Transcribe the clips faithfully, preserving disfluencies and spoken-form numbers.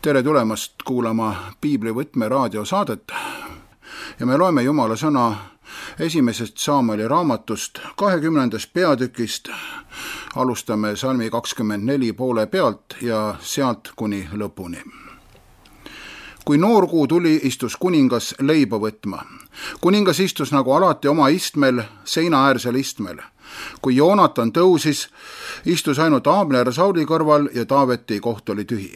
Tere tulemast kuulama Piibli võtme raadiosaadet ja me loeme Jumala sõna esimesest Samueli raamatust kahekümnendast peatükist. Alustame salmi kakskümmend neli poole pealt ja sealt kuni lõpuni. Kui noorkuu tuli, istus kuningas leiba võtma. Kuningas istus nagu alati oma istmel, seinaäärsel istmel. Kui Joonatan tõusis, istus ainult Abner Sauli kõrval ja Taaveti koht oli tühi.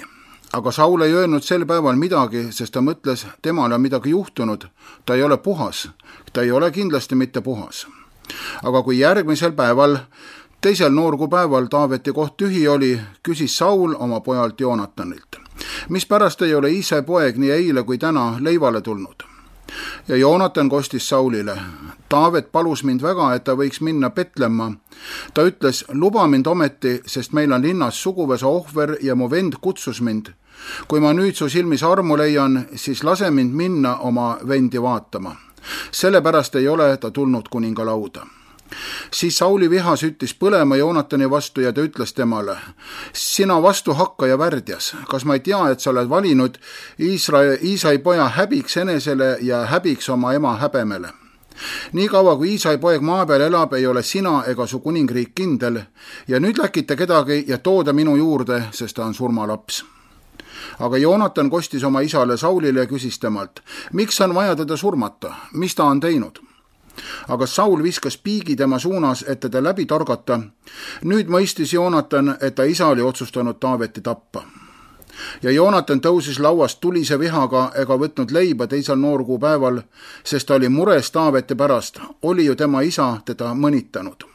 Aga Saul ei öelnud sel päeval midagi, sest ta mõtles, temal on midagi juhtunud. Ta ei ole puhas. Ta ei ole kindlasti mitte puhas. Aga kui järgmisel päeval, teisel noorkuupäeval Taaveti koht tühi oli, küsis Saul oma pojalt Joonatanilt. Mispärast ei ole Iisai poeg nii eile kui täna leivale tulnud? Ja Joonatan kostis Saulile. Taavet palus mind väga, et ta võiks minna Petlemma. Ta ütles, luba mind ometi, sest meil on linnas suguvõsa ohver ja mu vend kutsus mind. Kui ma nüüd su silmis armu leian, siis lase mind minna oma vendi vaatama. Sellepärast ei ole ta tulnud kuninga lauda. Siis Sauli viha süttis põlema Joonatani vastu ja ta ütles temale, sina vastu hakkaja värdjas, kas ma ei tea, et sa oled valinud Iisrael, Iisai poja häbiks enesele ja häbiks oma ema häbemele. Nii kaua, kui Iisai poeg maa peal elab, ei ole sina ega su kuningriik kindel ja nüüd läkite kedagi ja tooda minu juurde, sest ta on surmalaps. Aga Joonatan kostis oma isale Saulile ja küsis temalt, miks on vaja teda surmata, mis ta on teinud? Aga Saul viskas piigi tema suunas, et teda läbi torgata. Nüüd mõistis Joonatan, et ta isa oli otsustanud Taaveti tappa. Ja Joonatan tõusis lauast tulise vihaga ega võtnud leiba teisel noorkuupäeval, sest ta oli mures Taaveti pärast, oli ju tema isa teda mõnitanud.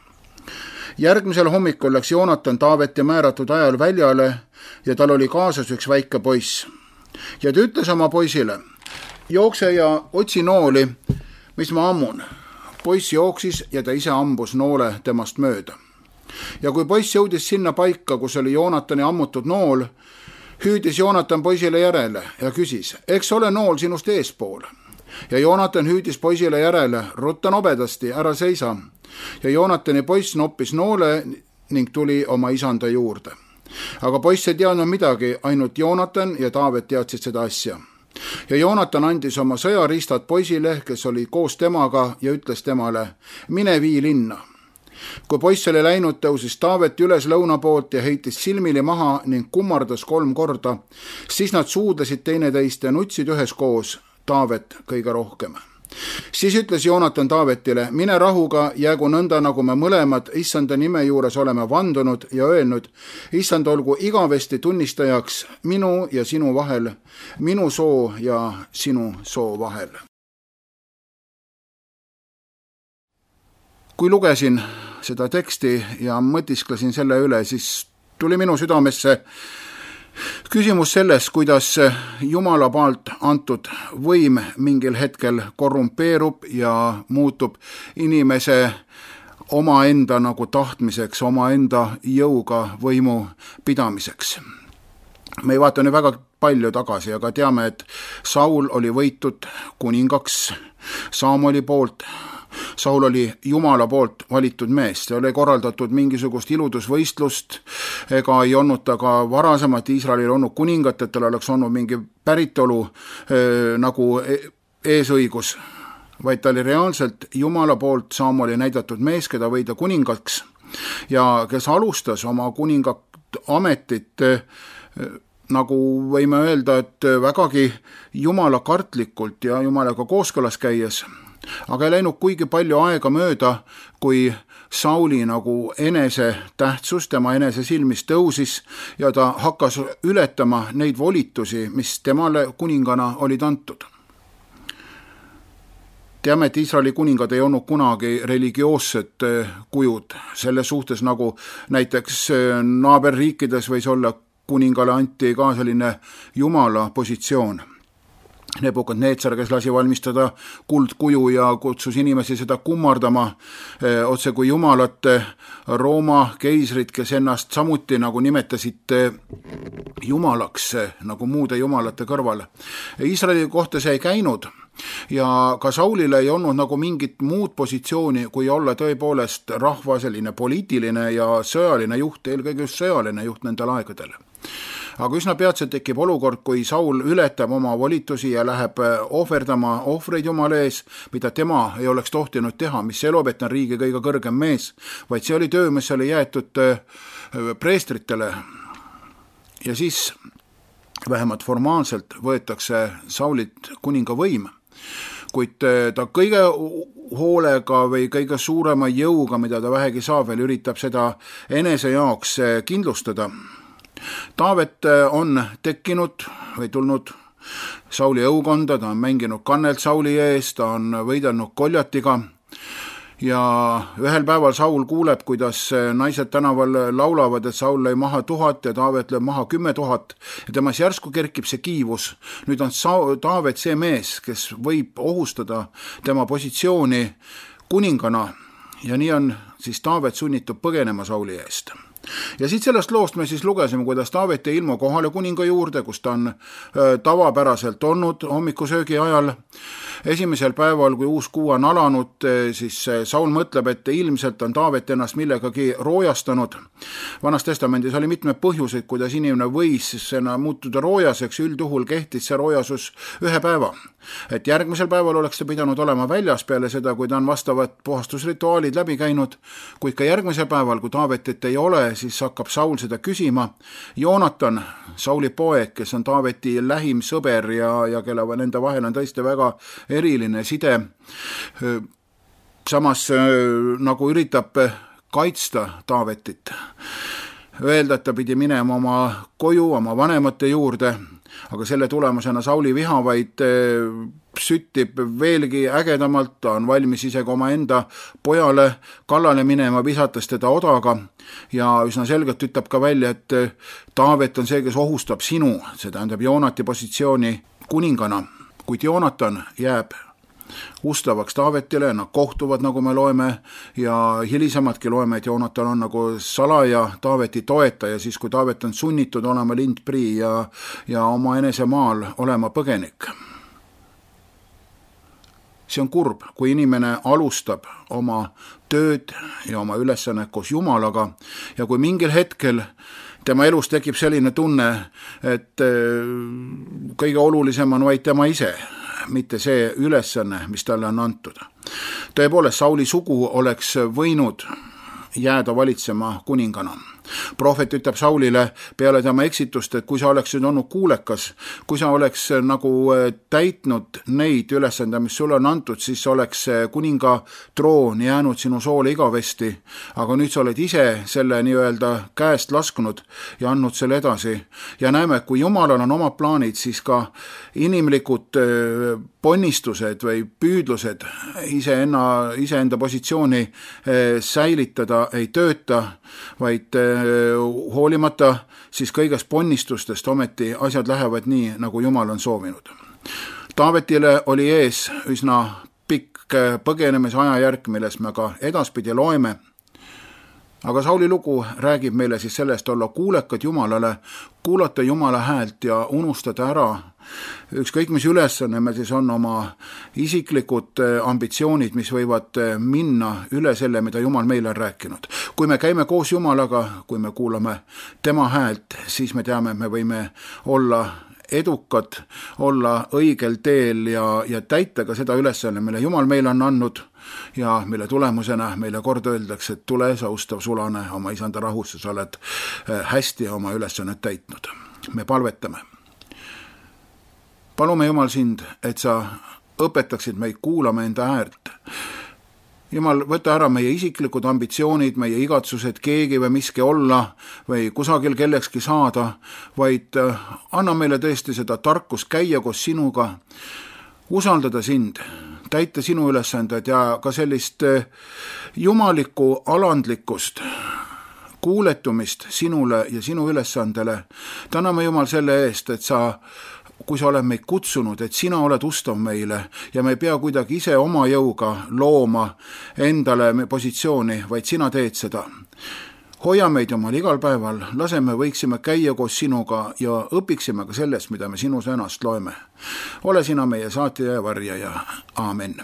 Järgmisel hommikul läks Joonatan Taaveti määratud ajal väljale ja tal oli kaasas üks väike poiss. Ja ta ütles oma poisile, jookse ja otsi nooli, mis ma ammun. Poiss jooksis ja ta ise ambus noole temast mööda. Ja kui poiss jõudis sinna paika, kus oli Joonatani ammutud nool, hüüdis Joonatan poisile järele ja küsis, eks ole nool sinust eespool. Ja Joonatan hüüdis poisile järele, rutta nobedasti, ära seisa. Ja Joonatani poiss noppis noole ning tuli oma isanda juurde. Aga poiss ei teadnud midagi, ainult Joonatan ja Taavet teadsid seda asja. Ja Joonatan andis oma sõjariistad poisile, kes oli koos temaga ja ütles temale, mine vii linna. Kui poiss oli läinud, tõusis Taavet üles lõuna poolt ja heitis silmili maha ning kummardas kolm korda. Siis nad suudlesid teineteist ja nutsid üheskoos, Taavet kõige rohkem. Siis ütles Joonatan Taavetile, mine rahuga, jäägu nõnda, nagu me mõlemad issanda nime juures oleme vandunud ja öelnud, issand olgu igavesti tunnistajaks minu ja sinu vahel, minu soo ja sinu soo vahel. Kui lugesin seda teksti ja mõtisklesin selle üle, siis tuli minu südamesse küsimus sellest, kuidas Jumala poolt antud võim mingil hetkel korrumpeerub ja muutub inimese omaenda nagu tahtmiseks, omaenda jõuga võimu pidamiseks. Me ei vaata nüüd väga palju tagasi, aga teame, et Saul oli võitud kuningaks Samueli poolt. Saul oli Jumala poolt valitud mees, see oli korraldatud mingisugust iludusvõistlust, ega ei olnud ta ka varasemalt Iisraelil olnud kuningat, et tal oleks olnud mingi päritolu äh, nagu eesõigus, vaid ta oli reaalselt Jumala poolt Samueli näidatud mees, keda võida kuningaks ja kes alustas oma kuninga ametit äh, nagu võime öelda, et vägagi Jumala kartlikult ja Jumalaga kooskõlas käies. Aga ei läinud kuigi palju aega mööda, kui Sauli nagu enese tähtsus tema enese silmis tõusis ja ta hakkas ületama neid volitusi, mis temale kuningana olid antud. Teame, et Iisraeli kuningad ei olnud kunagi religioossed kujud, selles suhtes nagu näiteks naaberriikides võis olla kuningale anti ka selline Jumala positsioon. Nebukadneetsar, kes lasi valmistada kuldkuju ja kutsus inimesi seda kummardama otse kui jumalat, Rooma keisrid, kes ennast samuti nagu nimetasid jumalaks, nagu muude jumalate kõrval. Iisraeli kohta see ei käinud ja ka Saulile ei olnud nagu mingit muud positsiooni, kui olla tõepoolest rahva selline poliitiline ja sõjaline juht, eelkõige just sõjaline juht nendel aegadel. aga üsna peatselt tekib olukord, kui Saul ületab oma volitusi ja läheb ohverdama ohvreid Jumala ees, mida tema ei oleks tohtinud teha, mis ei loob, et ta on riigi kõige kõrgem mees, vaid see oli töö, mis oli jäetud preestritele. Ja siis vähemalt formaalselt võetakse Saulilt kuninga võim, kuid ta kõige hoolega või kõige suurema jõuga, mida ta vähegi saab, veel üritab seda enese jaoks kindlustada. Taavet on tekkinud või tulnud Sauli õukonda, ta on mänginud kannelt Sauli ees, ta on võidelnud Goljatiga ja ühel päeval Saul kuuleb, kuidas naised tänaval laulavad, et Saul lõi maha tuhat ja Taavet lööb maha kümme tuhat ja temas järsku kerkib see kiivus. Nüüd on Taavet see mees, kes võib ohustada tema positsiooni kuningana ja nii on siis Taavet sunnitud põgenema Sauli eest. Ja siit sellest loost me siis lugesime, kuidas Taavet ei ilmu kohale kuninga juurde, kus ta on tavapäraselt olnud hommikusöögi ajal. Esimesel päeval, kui uus kuu on alanud, siis Saul mõtleb, et ilmselt on Taavet ennast millegagi roojastanud. Vanas testamendis oli mitmed põhjuseid, kuidas inimene võis muutuda roojaseks, üldjuhul kehtis see roojasus ühe päeva. Et järgmisel päeval oleks ta pidanud olema väljas peale seda, kui ta on vastavad puhastusrituaalid läbi käinud, kuid ka järgmisel päeval, kui Taavetit ei ole, siis hakkab Saul seda küsima. Joonatan, Sauli poeg, kes on Taaveti lähim sõber ja, ja kelle nende vahel on tõesti väga eriline side, samas nagu üritab kaitsta Taavetit. Öelda, et ta pidi minema oma koju, oma vanemate juurde, aga selle tulemusena Sauli viha vaid süttib veelgi ägedamalt, ta on valmis isegi oma enda pojale kallale minema, visates teda odaga ja üsna selgelt ütleb ka välja, et Taavet on see, kes ohustab sinu, see tähendab Joonati positsiooni kuningana, kuid Joonatan jääb ustavaks Taavetile, nad kohtuvad, nagu me loeme, ja hilisematki loeme, et Joonatan on nagu salaja Taaveti toetaja, siis kui Taavet on sunnitud olema lindprii ja, ja oma enese maal olema põgenik. See on kurb, kui inimene alustab oma tööd ja oma ülesannet koos Jumalaga ja kui mingil hetkel tema elus tekib selline tunne, et kõige olulisem on vaid tema ise, mitte see ülesanne, mis talle on antud. Tõepoolest, Sauli sugu oleks võinud jääda valitsema kuningana. Prohvet ütleb Saulile peale tema eksitust, et kui sa oleksid olnud kuulekas, kui sa oleks nagu täitnud neid ülesande, mis sulle on antud, siis oleks kuninga troon jäänud sinu soole igavesti, aga nüüd sa oled ise selle nii-öelda käest lasknud ja andnud selle edasi. Ja näeme, et kui Jumalal on omad plaanid, siis ka inimlikud ponnistused või püüdlused iseenda, iseenda positsiooni säilitada ei tööta, vaid hoolimata siis kõigest ponnistustest ometi asjad lähevad nii, nagu Jumal on soovinud. Taavetile oli ees üsna pikk põgenemise ajajärk, milles me ka edaspidi loeme, aga Sauli lugu räägib meile siis sellest olla kuulekad Jumalale, kuulata Jumala häält ja unustada ära ükskõik mis ülesanne me siis on oma isiklikud ambitsioonid, mis võivad minna üle selle, mida Jumal meile on rääkinud. Kui me käime koos Jumalaga, kui me kuulame tema häält, siis me teame, et me võime olla edukad, olla õigel teel ja, ja täita ka seda ülesanne, mille Jumal meile on andnud ja mille tulemusena meile kord öeldakse, et tule sa ustav sulane oma isanda rahusse, sa oled hästi oma ülesannet täitnud. Me palvetame. Palume Jumal sind, et sa õpetaksid meid kuulama enda häält. Jumal, võta ära meie isiklikud ambitsioonid, meie igatsused, keegi või miski olla või kusagil kellekski saada, vaid anna meile tõesti seda tarkust käia koos sinuga, usaldada sind, täita sinu ülesanded ja ka sellist jumalikku alandlikkust, kuuletumist sinule ja sinu ülesandele. Täname Jumal selle eest, et sa kui sa oled meid kutsunud, et sina oled ustav meile ja me ei pea kuidagi ise oma jõuga looma endale positsiooni, vaid sina teed seda. Hoia meid Jumal igal päeval, laseme võiksime käia koos sinuga ja õpiksime ka sellest, mida me sinu sõnast loeme. Ole sina meie saatja ja varjaja. Aamen.